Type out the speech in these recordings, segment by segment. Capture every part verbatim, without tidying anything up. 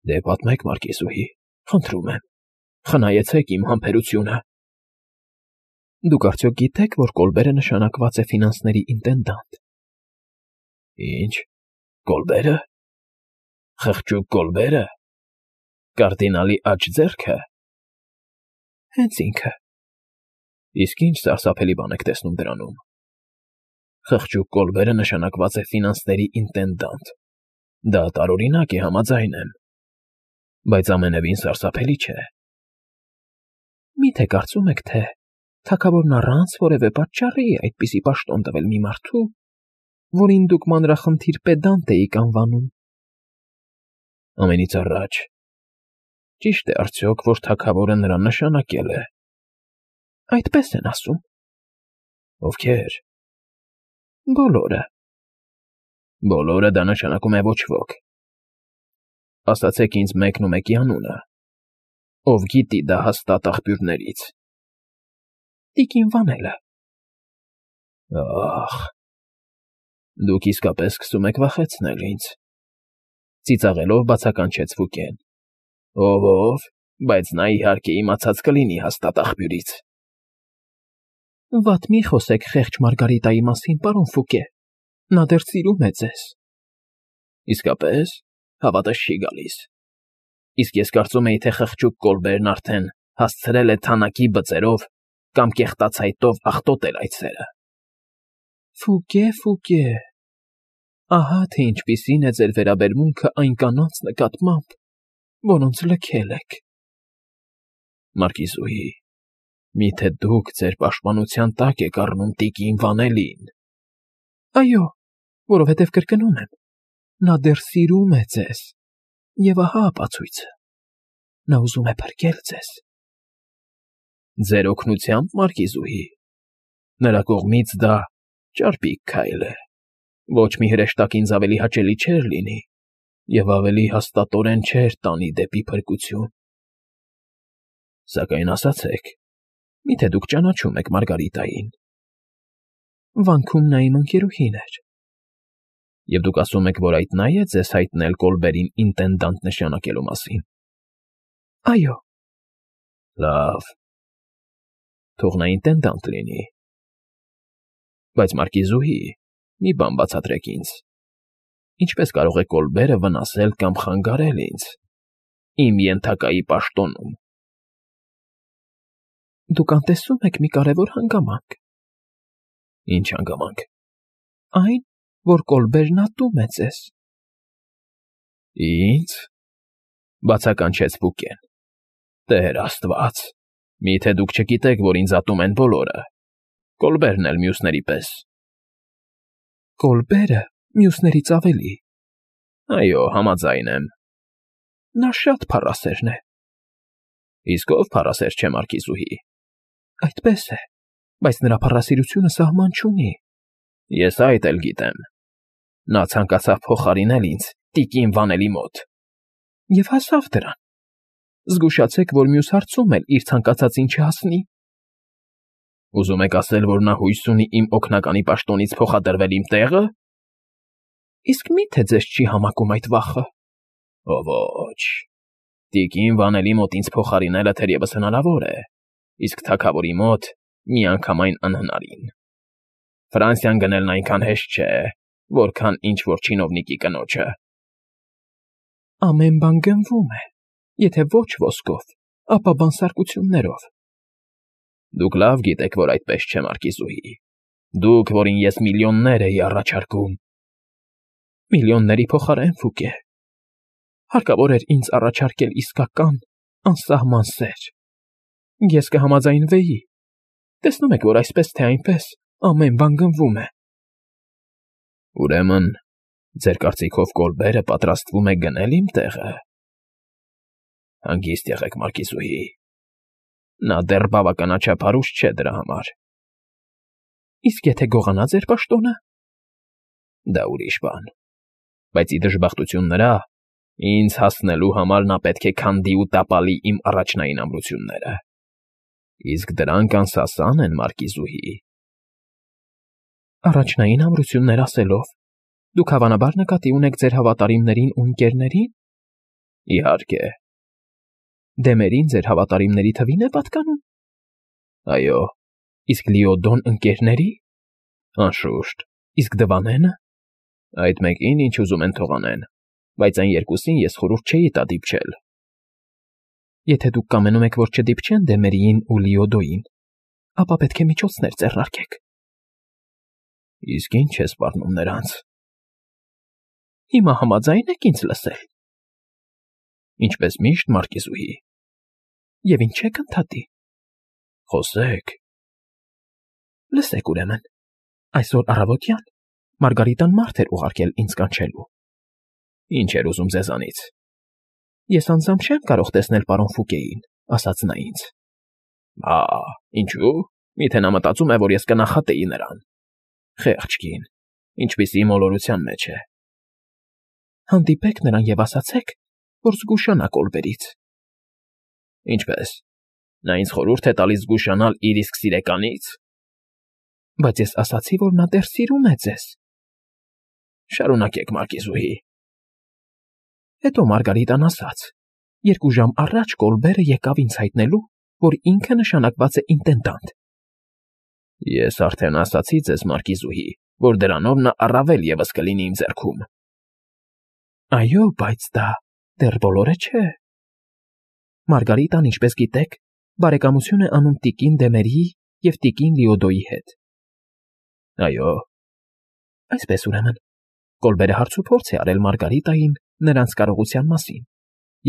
Դե պատմեք, Մարկիզուհի, խնդրում եմ, խնայեցեք իմ համբերությունը։ Դուք արդյոք գիտեք, որ Կոլբերը նշանակված է ֆինանսների ինտենդանտ։ Ինչ, Կոլբերը։ Խղճուկ Կոլբերը։ Կարդինալի աջ ձեռքը։ Հենց ինքը։ Իսկ ինչ սարսափելի բան եք տեսնում դրանում։ Խղճուկ Կոլբերը նշանակված է ֆինանսների ինտենդանտ։ Դա տարօրինակ է, համաձայն եմ, բայց ամենևին սարսափելի չէ։ Մի՞թե կարծում եք, թե թագավորն առանց որևէ պատճառի այդպիսի պաշտոն տվել մի մարդու, որին դուք մանրախնդիր պեդանտ էիք անվանում։ Ամենից առաջ, ճի՞շտ է արդյոք, որ թագավորը նրան նշանակել է։ Այդպես են ասում։ Ովքե՞ր։ Բոլորը։ Բոլորը դա նշանակում է ոչ ոք։ Ասացեք ինձ մեկն ու մեկի անունը, ով գիտի դա հաստատ աղբյուրներից։ Տիկին Վանելը։ Ախ, դուք իսկապես սկսում եք վախեցնել ինձ, ծիծաղելով բացականչեց Ֆուկեն։ Ով ով, բայց նա իհարկե իմացած կլինի հաստատ աղբյուրից։ Վատ մի խոսեք խեղճ Մարգարիտայի մասին, պարոն Ֆուկե, նա դեռ սիրում է ձեզ։ Իսկապես, հավատս չի գալիս։ Իսկ ես կարծում էի, թե խղճուկ Կոլբերն արդեն հասցրել է թանաքի բծերով կամ կեղտացայտով աղտոտել այդ սերը։ Ֆուկե, Ֆուկե, ահա թե ինչպիսին է ձեր վերաբերմունքը այն կանանց նկատմամբ, որոնց լքել եք։ Մարկիզուհի, միթե դուք ձեր պաշտպանության տակ եք առնում տիկին Վանելին։ Այո, որովհետև կրկնում եմ, նա դեռ սիրում է ձեզ, և ահա ապացույցը. նա ուզում է փրկել ձեզ։ Ձեր օգնությամբ, Մարկիզուհի, նրա կողմից դա ճարպիկ քայլ է, ոչ մի հրեշտակ ինձ ավելի հաճելի չէր լինի և ավելի հաստատորեն չէր տանի դեպի փրկություն։ Սակայն ասացեք, միթե դուք ճանաչում եք Մարգարիտային։ Վանքում նա իմ ընկերուհին էր։ Եվ դուք ասում եք, որ այդ նա է ձեզ հայտնել Կոլբերին ինտենդանտ նշանակելու մասին։ Այո։ Լավ, թող նա ինտենդանտ լինի։ Բայց Մարկիզուհի, մի բան բացատրեք ինձ. ինչպես կարող է Կոլբերը վնասել կամ խանգարել ինձ, իմ ենթակայի պաշտոնում։ Դուք անտեսում եք մի կարևոր հանգամանք։ Ինչ հանգամանք։ Այն, որ Կոլբերն ատում է ձեզ։ Ինձ, բացականչեց Ֆուկեն։ Տեր Աստված, միթե դուք չգիտեք, որ ինձ ատում են բոլորը, Կոլբերն էլ մյուսների պես։ Կոլբերը մյուսներից ավելի։ Այո, համաձայն եմ։ Նա շատ փառասերն է։ Իսկ ով փառասեր չէ, Մարկիզուհի։ Այդպես է, բայց նրա փառասիրությունը սահման չունի։ Ես այդ էլ գիտեմ։ Նա ցանկացավ փոխարինել ինձ տիկին Վանելի մոտ։ Եվ հասավ դրան։ Զգուշացեք, որ մյուս հարցում էլ իր ցանկացածին չհասնի։ Ուզում եք ասել, որ նա հույս ունի իմ օգնականի պաշտոնից փոխադրվել իմ տեղը։ Իսկ մի՞թե ձեզ չի համակում այդ վախը։ Ո ոչ։ Տիկին Վանելի մոտ ինձ փոխարինելը թերևս հնարավոր է, իսկ թագավորի մոտ միանգամայն անհնարին։ Ֆրանսիան գնելն այնքան հեշտ չէ, որքան ինչ-որ չինովնիկի կնոջը։ Ամեն բան գնվում է, եթե ոչ ոսկով, ապա բանսարկություններով։ Դուք լավ գիտեք, որ այդպես չէ, Մարկիզուհի։ Դուք, որին ես միլիոններ էի առաջարկում։ Միլիոնների փոխարեն, Ֆուկե։ Հարկավոր էր ինձ առաջարկել իսկական, անսահման սեր։ Ես կհամաձայնվեի։ Տեսնում եք, որ այսպես թե այնպես ամեն բան գնվում է։ Ուրեմն, ձեր կարծիքով Կոլբերը պատրաստվում է գնել իմ տեղը։ Հանգիստ եղեք, Մարկիզուհի։ Նա դեռ բավականաչափ հարուստ չէ դրա համար։ Իսկ եթե գողանա ձեր պաշտոնը։ Դա ուրիշ բան։ Բայց ի դժբախտություն նրա, ինձ հասնելու համար նա պետք է քանդի ու տապալի իմ առաջնային ամրությունները։ Իսկ դրանք անսասան են, Մարկիզուհի։ Առաջնային ամրություններ ասելով, դուք հավանաբար նկատի ունեք ձեր հավատարիմներին ու ընկերներին։ Իհարկե։ Դեմերին ձեր հավատարիմների թվին է պատկանում։ Այո, իսկ Լիոդոն ընկերների։ Անշուշտ, իսկ Դվանենը։ Այդ մեկին ինչ ուզում են թող անեն, բայց այն երկուսին ես խորհուրդ չէի տա դիպչել։ Եթե դուք կամենում եք, որ չդիպչեն Դեմերիին ու Լիոդոյին, ապա պետք է միջոցներ ձեռնարկեք։ Իսկ ինչ է սպառնում նրանց։ Հիմա համաձայն եք ինձ լսել։ Ինչպես միշտ, Մարկիզուհի։ Եվ ինչ եք ընդհատի։ Խոսեք։ Լսեք ուրեմն, այսօր առավոտյան Մարգարիտան մարդ էր ուղարկել ինձ կանչելու։ Ինչ էր ուզում ձեզանից։ Ես անձամբ չեմ կարող տեսնել պարոն Ֆուկեին, ասաց նա ինձ։ Ա, ինչու՞։ Միթե նա մտածում է, որ ես կնախատեի նրան։ Խեղճ կին, ինչպիսի մոլորության մեջ է։ Հանդիպեք նրան և ասացեք, որ զգուշանա Կոլբերից։ Ինչպես։ Նա ինձ խորհուրդ է տալիս զգուշանալ իր իսկ սիրեկանից։ Բայց ես ասացի, որ նա դեռ սիրում է ձեզ։ Շարունակեք, Մարկիզուհի։ Հետո Մարգարիտան ասաց. երկու ժամ առաջ Կոլբերը եկավ ինձ հայտնելու, որ ինքը նշանակված է ինտենդանտ։ Ես արդեն ասացի ձեզ, Մարկիզուհի, որ դրանով նա առավել ևս կլինի իմ ձեռքում։ Այո, բայց դա դեռ բոլորը չէ։ Մարգարիտան, ինչպես գիտեք, բարեկամություն է անում տիկին Դեմերիի և տիկին Լիոդոյի հետ։ Այո։ Այսպես ուրեմն, Կոլբերը հարցուփորձ է արել Մարգարիտային նրանց կարողության մասին,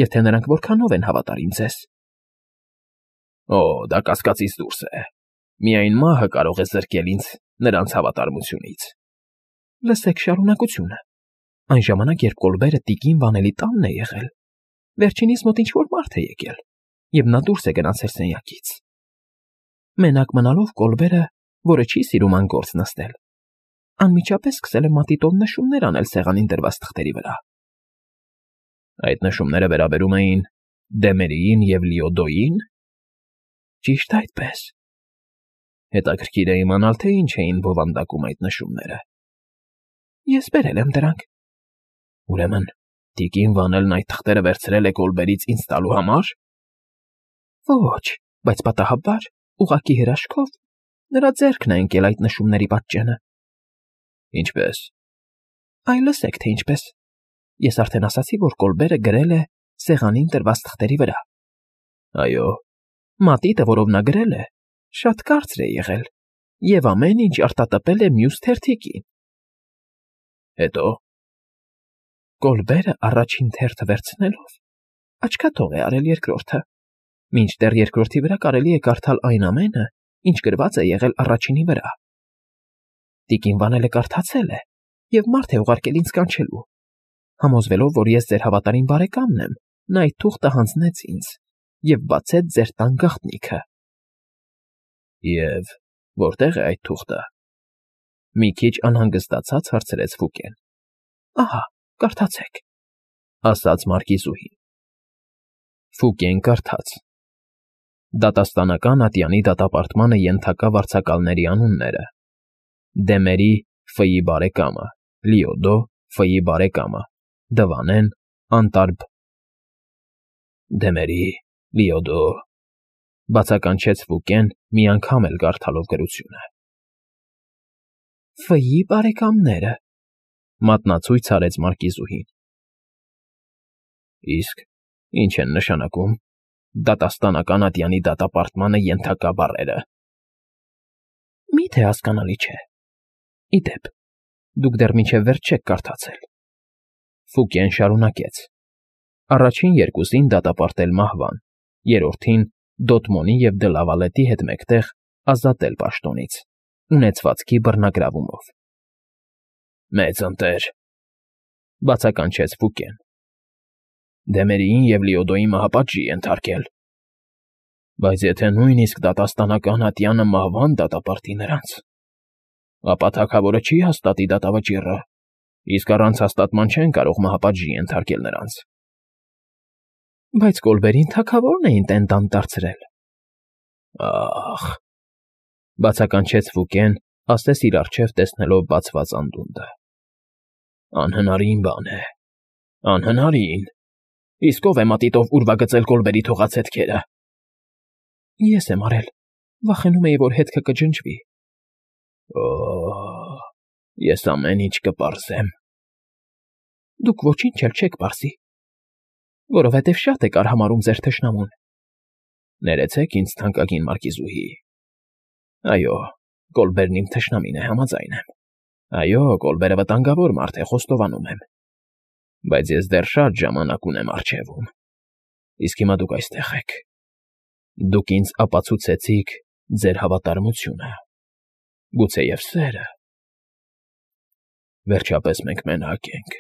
և թե նրանք որքանով են հավատարիմ ձեզ։ Օ, դա կասկածից դուրս է։ Միայն մահը կարող է զրկել ինձ նրանց հավատարմությունից։ Լսեք շարունակությունը։ Այն ժամանակ, երբ Կոլբերը տիկին Վանելի տանն է եղել, վերջինիս մոտ ինչ-որ մարդ է եկել, և նա դուրս է գնացել սենյակից։ Մենակ մնալով Կոլբերը, որը չի սիրում անգործ նստել, անմիջապես սկսել է մատիտով նշումներ անել սեղանին դրված թղթերի վրա։ Այդ նշումները վերաբերում էին Դեմերիին և Լիոդոյին։ Ճիշտ այդպես։ Հետաքրքիր է իմանալ, թե ինչ էին բովանդակում այդ նշումները։ Ես բերել եմ դրանք։ Ուրեմն, տիկին Վանելն այդ թղթերը վերցրել է Կոլբերից ինձ տալու համար։ Ոչ, բայց պատահաբար, ուղղակի հրաշքով, նրա ձեռքն է ընկել այդ նշումների պատճենը։ Ինչպես։ Այ լսեք, թե ինչպես։ Ես արդեն ասացի, որ Կոլբերը գրել է սեղանին դրված թղթերի վրա։ Այո։ Մատիտը, որով նա գրել է, շատ կարծր է եղել, և ամեն ինչ արտատպել է մյուս թերթիկին։ Հետո։ Կոլբերը առաջին թերթը վերցնելով, աչքաթող է արել երկրորդը, մինչդեռ երկրորդի վրա կարելի է կարդալ այն ամենը, ինչ գրված է եղել առաջինի վրա։ Տիկին Վանելը կարդացել է, և մարդ է ուղարկել ինձ կանչելու։ Համոզվելով, որ ես ձեր հավատարիմ բարեկամն եմ, նա այդ թուղթը հանձնեց ինձ և բացեց ձեր տան գաղտնիքը։ Եվ որտե՞ղ է այդ թուղթը։ Մի քիչ անհանգստացած հարցրեց Ֆուկեն։ Ահա, կարդացեք, ասաց Մարկիզուհին։ Ֆուկեն կարդաց. Դատաստանական ատյանի դատապարտմանը ենթակա վարձակալների անունները. Դեմերի Ֆ-ի բարեկամը, Լիոդո Ֆ-ի բարեկամը, Դվանեն, Անտարբ։ Դեմերի, Լիոդո, բացականչեց Ֆուկեն մի անգամ էլ կարդալով գրությունը։ Ֆ-ի բարեկամները, մատնացույց արեց Մարկիզուհին։ Իսկ ինչ են նշանակում դատաստանական ատյանի դատապարտմանը ենթակա բառերը։ Մի՞թե հասկանալի չէ։ Ի դեպ, դուք դեռ մինչև վերջ չեք կարդացել։ Ֆուկեն շարունակեց. Առաջին երկուսին դատապարտել մահվան, երրորդին Դոտմոնի և Դլավալետի հետ մեկտեղ ազատել պաշտոնից, ունեցվածքի բռնագրավումով։ Մեծ ընտեր, բացականչեց Ֆուկեն։ Դեմերիին և Լիոդոյի մահապատժի ենթարկել։ Բայց եթե նույնիսկ դատաստանական ատյանը մահվան դատապարտի նրանց, ապա թագավորը չի հաստատի դատավճիռը, իսկ առանց հաստատման չեն կարող մահապատժի ենթարկել նրանց։ Բայց Կոլբերին թագավորն է ինտենդանտ դարձրել։ Ախ, բացականչեց Ֆուկեն, ասես իր առջև տեսնելով բացված անդունդը։ Անհնարին բան է, անհնարին։ Իսկ ով է մատիտով ուրվագծել Կոլբերի թողածետքերը։ Ես եմ արել, վախենում էի, որ հետքը կջնջվի։ Օ, ես ամեն ինչ կպարզեմ։ Դուք ոչինչ էլ չեք պարզի, որովհետև շատ եք արհամարհում ձեր թշնամուն։ Ներեցեք ինձ, թանկագին մարկիզուհի։ Այո, Կոլբերն իմ թշնամին է, համաձայն եմ։ Այո, Կոլբերը վտանգավոր մարդ է, խոստովանում եմ։ Բայց ես դեռ շատ ժամանակ ունեմ առջևում։ Իսկ հիմա դուք այստեղ եք։ Դուք ինձ ապացուցեցիք ձեր հավատարմությունը, գուցեև սերը։ Վերջապես մենք մենակ ենք։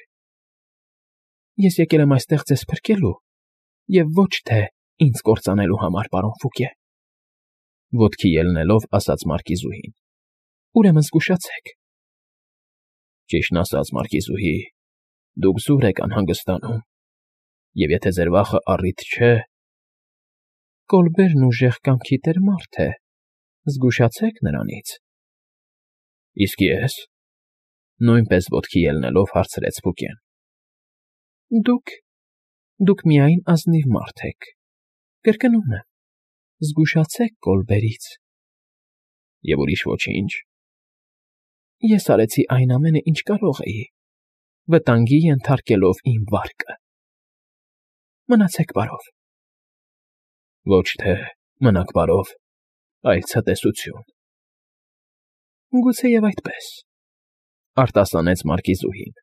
Ես եկել եմ այստեղ ձեզ փրկելու և ոչ թե ինձ կործանելու համար, պարոն Ֆուկե, ոտքի ելնելով ասաց մարկիզուհին։ Ուրեմն զգուշացեք։ Ճիշտն ասած, մարկիզուհի, դուք զուր եք անհանգստանում, և եթե ձեր վախը առիթ չէ… Կոլբերն ուժեղ կամքի տեր մարդ է, զգուշացեք նրանից։ Իսկ ես… նույնպես ոտքի ելնելով հարցրեց Ֆուկեն։ Դուք… դուք միայն ազնիվ մարդ եք, կրկնում եմ, զգուշացեք Կոլբերից։ Եվ ուրիշ ոչինչ… Ես արեցի այն ամենը, ինչ կարող էի, վտանգի ենթարկելով իմ վարկը։ Մնացեք բարով։ Ոչ թե մնաք բարով, այլ ցտեսություն։ Գուցեև այդպես, արտասանեց մարկիզուհին։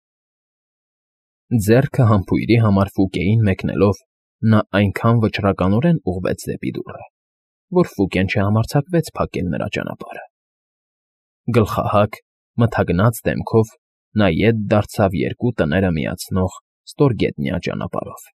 Ձեռքը համբույրի համար Ֆուկեին մեկնելով, նա այնքան վճռականորեն ուղղվեց դեպի դուռը, որ Ֆուկեն չհամարձակվեց փակել նրա ճանապարհը։ Գլխահակ, մթագնած դեմքով նա ետ դարձավ երկու տները միացնող ստորգետնյա ճանապարհով։